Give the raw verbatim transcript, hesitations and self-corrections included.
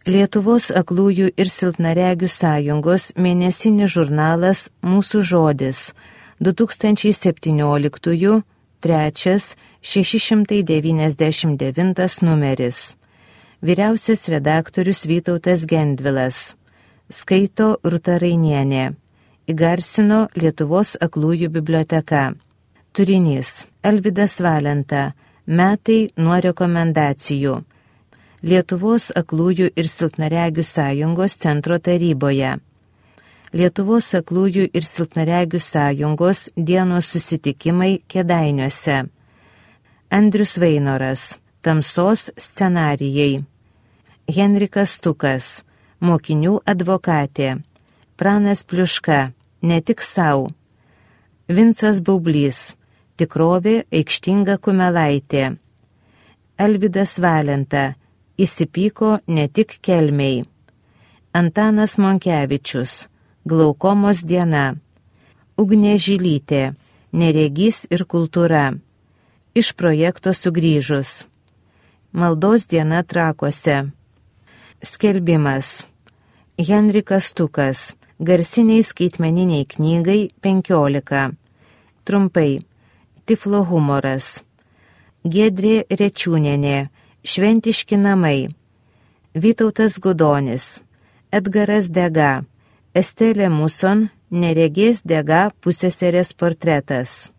Lietuvos aklųjų ir silpnaregių sąjungos mėnesinis žurnalas Mūsų žodis du tūkstančiai septynioliktųjų trečias šeši šimtai devyniasdešimt devintas numeris. Vyriausias redaktorius Vytautas Gendvilas. Skaito Rūta Rainienė. Įgarsino Lietuvos aklųjų biblioteka. Turinys. Alvydas Valenta. Metai nuo rekomendacijų. Lietuvos aklųjų ir silpnaregių sąjungos centro taryboje. Lietuvos aklųjų ir silpnaregių sąjungos dienos susitikimai Kėdainiuose. Andrius Vainoras. Tamsos scenarijai. Henrikas Stukas. Mokinių advokatė. Pranas Pliuška. Ne tik sau. Vincas Baublys. Tikrovė aikštinga kumelaitė. Alvydas Valenta. Įsipyko ne tik kelmiai. Antanas Monkevičius. Glaukomos diena. Ugnė Žilytė. Neregys ir kultūra. Iš projekto sugrįžus. Maldos diena Trakuose. Skelbimas. Henrikas Stukas. Garsiniai skaitmeniniai knygai penkiolika. Trumpai. Tiflo humoras. Giedrė Rečiūnienė. Šventiški namai. Vytautas Gudonis. Edgaras Dega. Estelė Muson. Neregės Dega pusseserės portretas.